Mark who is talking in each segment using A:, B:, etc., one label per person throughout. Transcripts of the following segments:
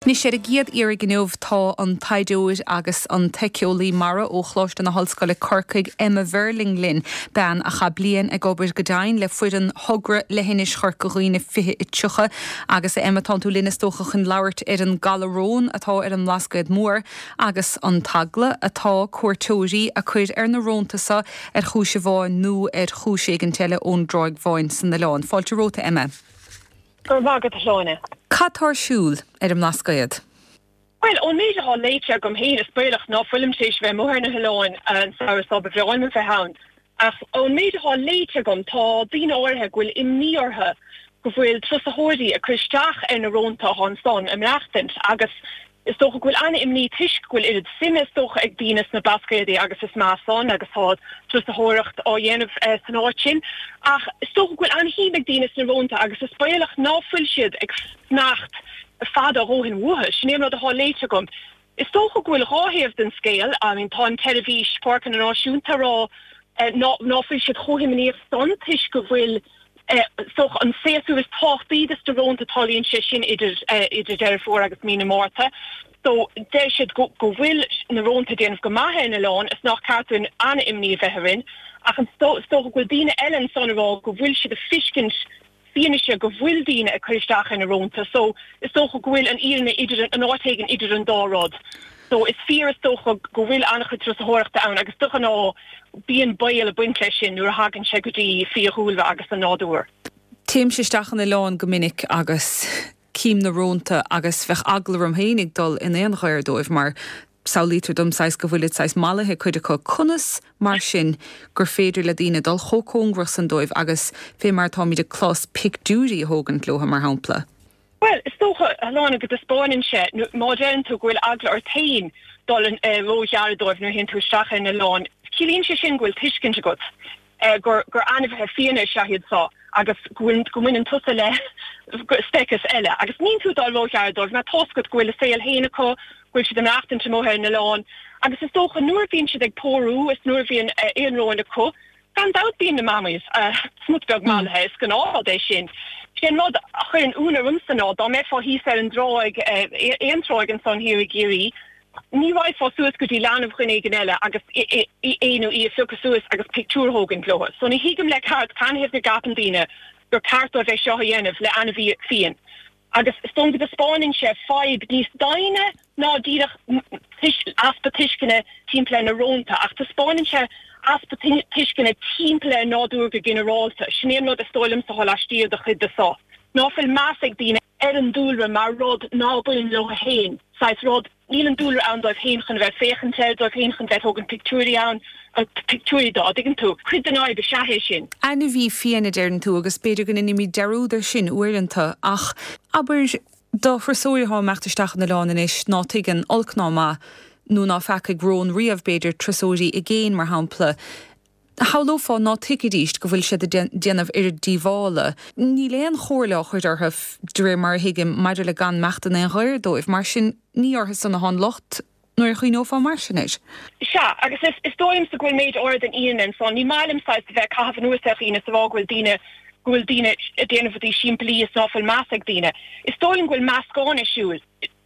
A: Anois ar an gcéad iarraidh inniu tá an taighdeoir agus an t-éiceolaí mara ó Choláiste na hOllscoile Corcaigh, Emma Verling linn, bean a chaith bliain ag obair go dian le foireann thogra Leithinis Chorca Dhuibhne 2030. Agus a Emma, tánn tú linn is dócha chun labhairt ar an galar rón atá ar an mBlascaod Mór agus an t-eagla atá cuairteoirí a cur ar na rónta so ar chúis amháin nó ar chúis éigint eile ón dTráigh Bháin san oileán. Fáilte romhat a Emma.
B: Go raibh maith agat, a Shláine.
A: Cad tá ar siúl ar an mBlascaod?
B: Bhuel, ón méid atá léite agam féin, is baolach ná fuilim tar éis bheith amuigh ar na hoileáin an samhradh seo, ba bhreá liom a bheith ann, ach ón méid atá léite agam, tá daoine áirithe go bhfuil imní orthu go bhfuil turasóirí ag cur isteach ar na rónta atá ansan ag maireachtaint agus Is dócha go bhfuil an-imní toisc go bhfuil oiread suime is dócha ag daoine sna Blascaodaí agus is maith san agus tá turasóireacht á dhéanamh san áit sin ach is dócha go bhfuil an-shuim ag daoine sna rónta agus is baolach ná fuil siad ag fanacht fada a dhóthain uathu. Sin é an rud atá léite agam. Is dócha go bhfuil dhá thaobh den scéal. I mean tá an tSeirbhís Páirceanna Náisiúnta ag rá ná fuil siad chomh himníoch san toisc go bhfuil Is dócha an séasúr is tábhachtaí dos na rónta, tarlaíonn sé sin idir idir Deireadh Fómhair agus mí na Márta. So deir siad go go bhfuil na rónta ag déanamh go maith ar an oileán is nach ceart dúinn an-imní a bheith orainn. Ach is dócha go bhfuil daoine eile ansan ag rá go bhfuil siad ag feiscint fianaise go bhfuil daoine ag cur isteach ar na rónta. So is dócha go bhfuil an fhírinne idir an áit éigin idir an dá rud. So is fíor is dócha go bhfuil an-chuid turasóireachta ann agus de ghnáth bíonn baol ag baint leis sin nuair a thagann sé go dtí fiadhúlra agus an nádúr.
A: Téimse isteach an oileán go minic agus cím na rónta agus bheadh eagla orm féinig dul in aon ghair dóibh mar samhlaítear dom saghas go bhfuilid saghas mallaithe cuid acu. Conas mar sin gur féidir le daoine dul chomh cóngarach san dóibh agus fé mar atáimid ag clos pictiúirí a thógaint leo mar shampla?
B: Bhuel, is dócha, a Shláine, go dtaispeáineann sé, má deireann tú go bhfuil eagla ort féin dul róghar dóibh nuair a théann tú isteach ar an oileán, ciallaíonn sé sin go bhfuil tuiscint agat gur gur ainmhithe fiáine is ea iad seo agus go bhfuil go mbaineann tusa le speiceas eile. Agus níl tú ag dul róghar dóibh mar tá's agat go bhfuil a saol féin acu, go bhfuil siad ag maireachtaint amuigh ar an oileán. Agus is dócha nuair a bhíonn siad ag pórú is nuair a bhíonn aon róin acu, Gan dabht bíonn na mamaí smut beag mallaithe, is gnáthrud é sin. Sé an rud a chuireann ionadh ormsa ná dá mbeifeá thíos ar an dtráigh, aon tráigh ansan thiar i gCiarraí, ní raghfá suas go dtí leanbh dhuine éigin eile agus é nó í a phiocadh suas agus pictiúr a thógaint leo. So ní thuigim le ceart canathaobh go gceapann daoine gur ceart dóibh é seo a dhéanamh le ainmhí fiáin. Agus is dóigh liom go dtaispeánann sé fadhb níos doimhne ná díreach easpa tuisceana timpeall ar na rónta, ach taispeánann sé easpa tuisceana timpeall ar an nádúr go ginearálta. Sin é an rud is dóigh liomsa atá laistiar de chuid de seo, ná fuil meas ag daoine ar an dúlra mar rud ná baineann leo féin, saghas rud. Níl an dúlra ann dóibh féin chun a bheith ag féachaint air, dóibh féin chun bheith ag tógaint pictiúirí ann, pictiúirí dó, an dtuigeann tú. Cuid den fhadhb is ea é sin.
A: Ainmhí fiáin a deireann tú agus b'fhéidir go ndeinimid dearúd ar sin uaireanta ach abair do thurasóir atá ag imeacht isteach an oileán anois ná tuigeann olc ná maith nó ná feacaigh rón riamh b'fhéidir, turasóirí i gcéin mar shampla, Shamhlófá ná tuigfidíst go bhfuil siad ag déanamh oiread díobhála. Níl aon chomhairle á chur orthu, de réir mar a thuigim, maidir le gan imeacht in aon ghair dóibh. Mar sin, ní orthu san atá an locht, nuair a chuimhneofá mar sin air.
B: Sea, agus is dóigh liomsa go bhfuil méid áirid den fhírinne ansan. Ní maith liom saghas a bheith ag caitheamh anuas ar dhaoine is a rá go bhfuil daoine, go bhfuil daoine ag déanamh rudaí simplí is ná fuil meas ag daoine. Is dóigh liom go bhfuil meascán ar siúl.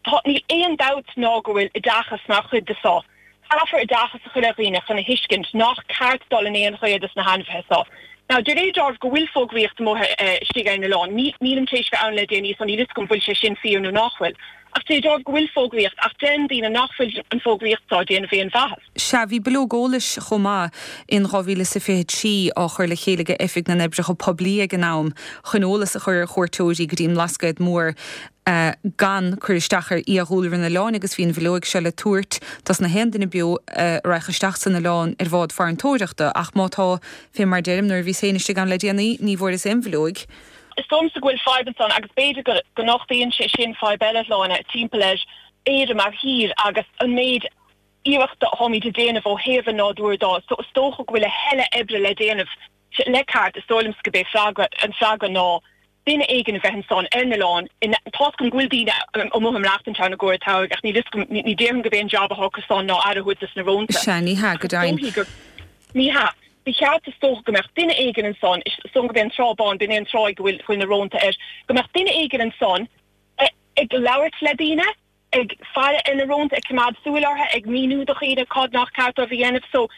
B: Tá, níl aon dabht ná go bhfuil oideachas mar chuid de seo. Caithfear oideachas a chur ar dhaoine chun a thuiscint nach ceart dul in aon ghair dos na hainmhithe seo. Now, de réir dealraimh go bhfuil fógraíocht amuigh istigh ar an oileán. Nílim tar éis bheith ann le déanaí so níl fhios agam bhfuil sé sin fíor nó nach bhfuil. Ach de réir dealraimh go bhfuil fógraíocht ach deireann daoine nach bhfuil an fógraíocht seo ag déanamh aon mhaitheas.
A: Sea, bhí bileog eolais chomh maith in 2023 á chur le chéile ag Oifig na nOibreacha Poiblí ag an am chun eolas a chur ar chuairteoirí go dtí an mBlascaod Mór. gan cur isteach ar fhiadhúlra an oileáin agus bhí an bhileoig seo le tabhairt dos na haon duine beo a raghadh isteach san oileán ar bhád farantóireachta ach má tá, fé mar deirim, nuair a bhíos féin istigh ann le déanaí ní bhfuaireas aon bhileoig.
B: Is dóigh liomsa go bhfuil fadhb ansan agus b'fhéidir go go nochtaíonn sé sin fadhb eile, a Shláine, timpeall ar Éire mar thír agus an méid iarrachta atáimid ag déanamh ó thaobh an nádúir dó. So is dócha go bhfuil a thuilleadh oibre le déanamh le ceart, is dóigh liomsa go b'é freagra, an freagra ná duine éigin a bheith ansan ar an oileán, tá's agam go bhfuil daoine amuigh ag maireachtaint ann i gcomhair an tsamhraidh ach níl fhios agam, ní déarfainn go b'é an jab atá acu san ná aire a thabhairt dos na rónta.
A: Sea, ní hea, go
B: Ach is
A: deimhin.
B: dóichí gur, ní hea. Ba cheart is dócha go mbeadh duine éigin ansan, is dóigh liom go b'é an Trá Bhán, b'in é an tráigh go bhfuil, bhfuil na rónta air, go mbeadh duine éigin ansan ag labhairt le daoine. ag faire ar na rónta, ag coimeád súil orthu, ag míniú do dhaoine cad nach ceart dóibh a dhéanamh. So,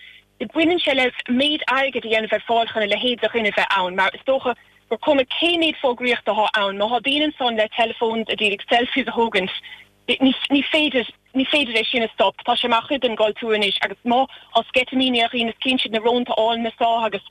B: baineann sé le méid airgid a dhéanamh ar fáil chun a leithéid de dhuine bheith ann, mar is dócha gur cuma cé méid fógraíochta atá ann, má thá daoine ansan le telephones a d'iarraidh selfies a thógaint, ní féidir, ní féidir é sin a stop. Tá sé mar chuid den gcultúr anois agus má thá sceitimíní ar dhaoine is cíonn siad na rónta álainne so agus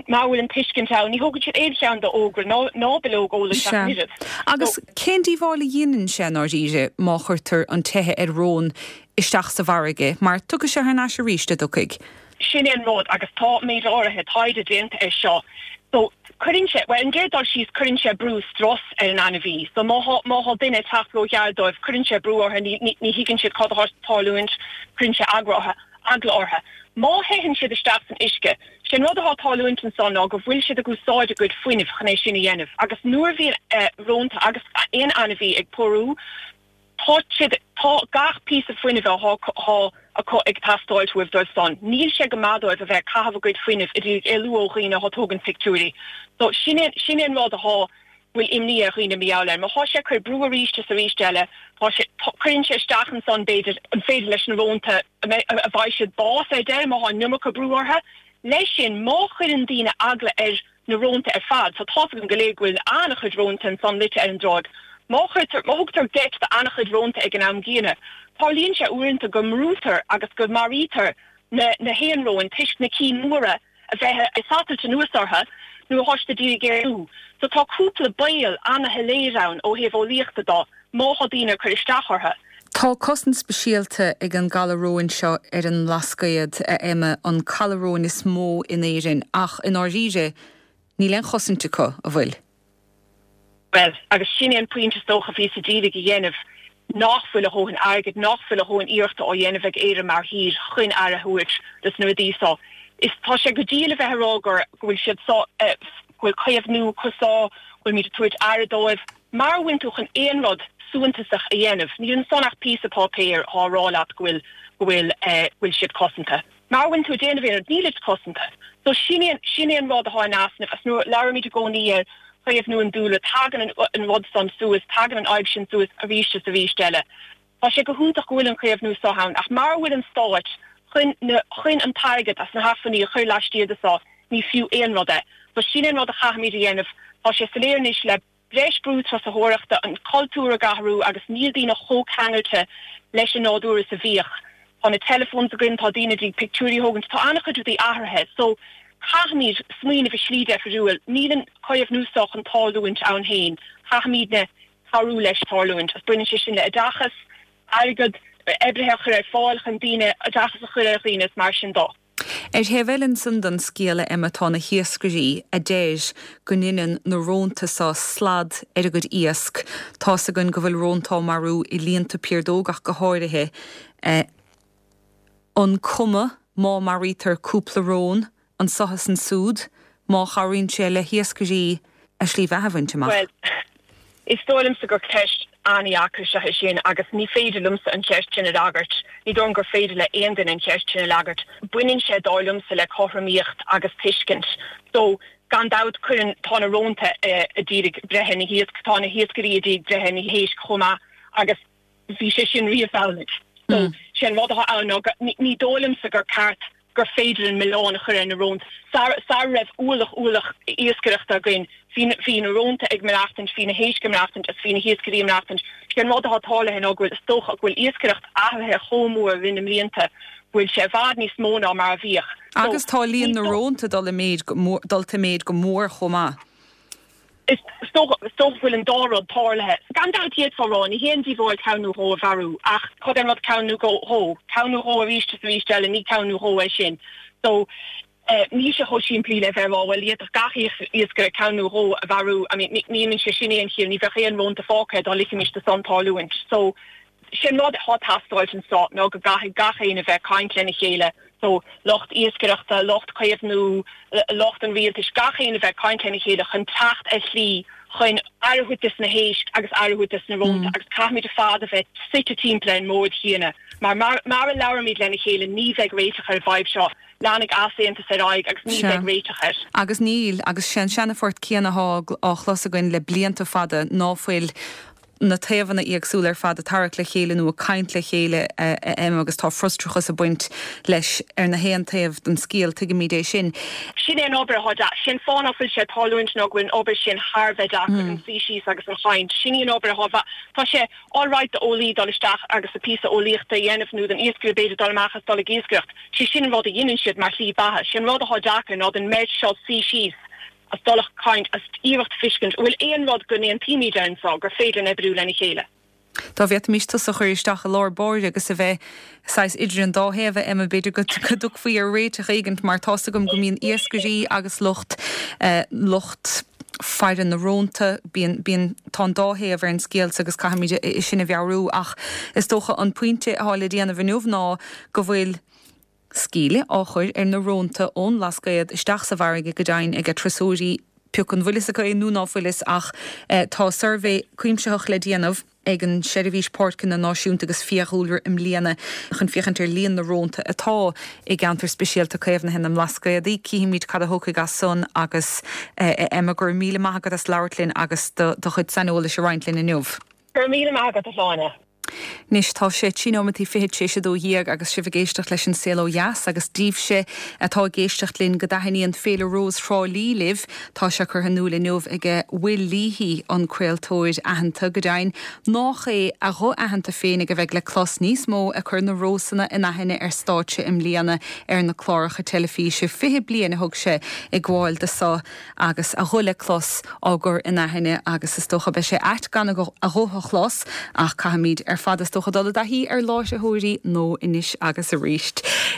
B: mara bhfuil an tuiscint ann, ní thógann siad aon cheann d'fhógra ná ná bileog eolais ach
A: Sea.
B: an oiread.
A: Agus
B: So.
A: cén díobháil a dhéanann sé i ndáiríre má chuirtear an teitheadh ar rón isteach sa bhfarraige, mar tiocfaidh sé thar n-ais arís, a' dtiocfaidh?
B: Sin é an rud, agus tá méid áirithe taighde déanta air seo. So, cuireann sé, bhuel, an gcéad dul síos, cuireann sé brú, strus ar an ainmhí. So, má thá, má thá duine ag teacht ró-ghearr dóibh, cuireann sé brú orthu, ní, ní, ní thuigeann siad cad athá ag tarlúint, cuireann sé agra orthu, eagla orthu. Má theitheann siad isteach san uisce, sé an rud athá ag tarlúint ansan ná go bhfuil siad ag úsáid a gcuid fuinnimh chun é sin a dhéanamh. Agus nuair a bhíonn eh, rónta agus aon ainmhí ag pórú, Tá siad, tá gach píosa fuinnimh athá acu ag teastáilt uaibh dóibh san. Níl sé go maith dóibh a bheith ag caitheamh a gcuid fuinnimh ag iarraidh éalú ó dhaoine athá tógaint pictiúirí. So, sin é, sin é an rud athá, bhfuil imní ar dhaoine mar gheall air. Má thá sé ag cur brú arís is arís eile, tá sé, tá, cuireann sé isteach ansan b'fhéidir, an féidir leis na rónta, an mbeidh, a bhfaighidh siad bás ar deireadh má thá an iomarca brú orthu. Leis sin, má chuireann daoine eagla ar na rónta ar fad. So tá's againn go léir go bhfuil an-chuid rónta ansan luite ar an dtráigh. Má chuirtear, má thugtar geit do an-chuid rónta ag an am gcéanna, tarlaíonn sé uaireanta go mbrúitear agus go maraítear na na héan-róin toisc na cinn mhóra a bheith ag satailt anuas orthu nuair athá siad ag iarraidh éalú. So tá cúpla baol ana-shoiléir ann ó thaobh eolaíochta do má thá daoine ag cur isteach orthu.
A: Tá cosaint speisialta ag an gcaladh róin seo ar an mBlascaod, a Emma, an caladh róin is mó in Éirinn, ach i ndáiríre, níl aon chosaint acu, a bhfuil?
B: Bhuel, agus sin é an pointe is dócha a bhíos ag iarraidh a dhéanamh, nach bhfuil a dhóthain airgid, nach bhfuil a dhóthain iarrachta á dhéanamh ag Éire mar thír chun aire a thabhairt dos na rudaí so. Is tá sé go diail a bheith ag rá gur, go bhfuil siad so, go bhfuil caomhnú acu so, go bhfuilimid ag tabhairt aire dóibh. Mara bhfuil tú chun aon rud suantasach a dhéanamh, níl ansan ach píosa páipéir athá a rá leat go bhfuil, go bhfuil eh, go bhfuil siad cosanta. Mara bhfuil tú ag déanamh aon rud, nílid cosanta. So sin é, sin é an rud athá in easnamh agus nuair a labhraímid i gcónaí ar chaomhnú an dúlra, tagann an, an rud san suas, tagann an fhadhb sin suas arís is arís eile. Tá sé go hiontach go bhfuil an caomhnú so ann ach mara bhfuil an Stát chun na, chun an t-airgead as na hacmhainní a chur laistiar de so, ní fiú aon rud é. So sin é an rud a chaithfimid a dhéanamh. Tá sé soiléir anois le breis brú turasóireachta, an cultúr ag athrú agus níl daoine chomh ceangailte leis an nádúr is a bhíodh. Tá na telephones againn, tá daoine ag iarraidh pictiúirí a thógaint, tá an-chuid rudaí athraithe. So caithfimid smaoineamh i slí deifiriúil. Níl an caomhnú so chun tarlúint ann féin. Caithfimidne cabhrú leis tarlúint. Agus baineann sé sin le oideachas, airgead, oibrithe a chur ar fáil chun daoine, oideachas a chur ar dhaoine is mar sin dó.
A: Ar thaobh eile ansan den scéal, a Emma, tá na hiascairí a deir go ndeineann na rónta so slad ar a gcuid iasc. Tá's againn go bhfuil rónta á marú i líonta piardóg ach go háirithe. An cuma má maraítear cúpla rón anso is ansúd, má chabhraíonn sé le hiascairí a slí bheatha a bhaint amach?
B: Bhuel, is dóigh liomsa gur ceist an-dheacair is ea é sin agus ní féidir liomsa an cheist sin a fhreagairt. Ní dóigh liom gur féidir le aon duine an cheist sin a fhreagairt. Baineann sé, dar liomsa, le cothromaíocht agus tuiscint. So, gan dabht, cuireann, tá na rónta ag iarraidh breith ar na hiasc, tá na hiascairí ag iarraidh breith ar na héisc chomh maith agus bhí sé sin riamh amhlaidh. So, sé an rud atá ann ná go, ní dóigh liomsa gur ceart gur féidir an milleán a chur ar na rónta. Sara, sara raibh ualach, ualach iascaireachta againn, bhí na, bhí na rónta ag maireachtaint, bhí na héisc ag maireachtaint agus bhí na hiascairí ag maireachtaint. Sé an rud atá tarlaithe ná go bhfuil, is dócha, go bhfuil iascaireacht athraithe chomh mór i rith na mblianta, go bhfuil sé i bhfad níos mó ná mar a bhíodh.
A: So, Agus tá líon na rónta dul i méid go mór, dulta i méid go mór chomh maith.
B: Is dócha go bhfuil an dá rud tarlaithe. Gan dabht d'fhéadfá a rá, ní haon díobháil ceann nó dhó a mharú, ach cad é an rud ceann nó dhó? Ceann nó dhó arís is arís eile, ní ceann nó dhó é sin. So, níl sé chomh simplí le bheith ag rá, bhuel, d'fhéadfadh gach iascaire ceann nó dhó a mharú. I mean, ní dhéanann sé sin aon chiall, ní bheadh aon rónta fágtha dá ligfimis do san tarlúint. So, Sé an rud atá ag teastáilt anso ná go gcaithfidh gach éinne bheith ag caint lena chéile, so lucht iascaireachta, lucht caomhnú, lucht an rialtais, gach éinne bheith ag caint lena chéile chun teacht ar shlí chun aire a thabhairt dos na héisc agus aire a thabhairt dos na rónta agus caithfimid ar fad a bheith suite timpeall ar an mbord chéanna mar mara labhraímid lena chéile ní bheidh réiteach ar an bhfadhb seo. Leanfaidh easaontas ar aghaidh agus ní bheidh réiteach air.
A: Agus níl, agus sé an seana-phort céanna atá á chlos againn le blianta fada ná fuil. na taobhanna éagsúla ar fad ag tarrac le chéile nó ag caint le chéile, a Emma, agus tá frustrachas ag baint leis ar na haon taobh den scéal, tuigimid é sin.
B: Sin é an obair atá deacair. Sin fáth ná fuil sé ag tarlúint ná go bhfuil an obair sin thar a bheith deacair, an suí síos agus an chaint. Sin í an obair atá, tá sé alright d'eolaí dul isteach agus a píosa eolaíochta a dhéanamh nó don iascaire b'fhéidir dul amach is dul ag iascaireacht. Sé sin an rud a dheineann siad mar shlí beatha. Sé an rud atá deacair ná don mbeirt seo suí síos is dul ag caint is iarracht fiscint an bhfuil aon rud go n-aontaímid air anseo gur féidir linn oibriú lena chéile.
A: Dá bhféadfaimis tusa a chur isteach i lár báire agus a bheith saghas idir an dá thaobh, a Emma, b'fhéidir go dtiocfaí ar réiteach éigint mar tá's agam go mbíonn iascairí agus lucht, lucht faire na rónta, bíonn, bíonn, tá an dá thaobh ar an scéal so agus caithfimid é sin a mheabhrú ach is dócha an pointe atá le déanamh inniu ná go bhfuil sceallach á chur ar na rónta ón mBlascaod isteach sa bhfarraige go deimhin ag turasóirí, pioc an bhfuil fhios acu é nó ná fuil fhios ach tá suirbhé cuimsitheach le déanamh ag an Seirbhís Páirceanna Náisiúnta agus Fiadhúlra i mbliana chun féachaint ar líon na rónta atá i gCeantar Speisialta Caomhnaithe na mBlascaodaí. Cífimid cad a thiocfaidh as san agus a Emma, go raibh míle maith agat as labhairt linn agus do chuid saineolais a roinnt linn inniu.
B: Go raibh míle maith agat, a Shláine.
A: Anois tá sé trí nóimeataí fichead tar éis a 12 agus sibh ag éisteacht leis an Saol Ó Dheas agus daoibhse atá ag éisteacht linn go dtaitníonn Féile Rós Thrá Lí libh, tá sé curtha in iúl inniu ag Will Leahy, an craoltóir aitheanta, go deimhin, nách é a ghuth aitheanta féinig a bheidh le clos níos mó ag cur na rósanna in aithne ar stáitse i mbliana ar na cláracha teilifíse. 20 bliain a thug sé ag gabháil do so. agus a ghuth le clos á gcur in aithne agus is dócha beidh sé ait gan a ghuth a chlos ach caithfimid ar fad is dócha dul i dtaithí ar láithreoirí nua anois agus arís.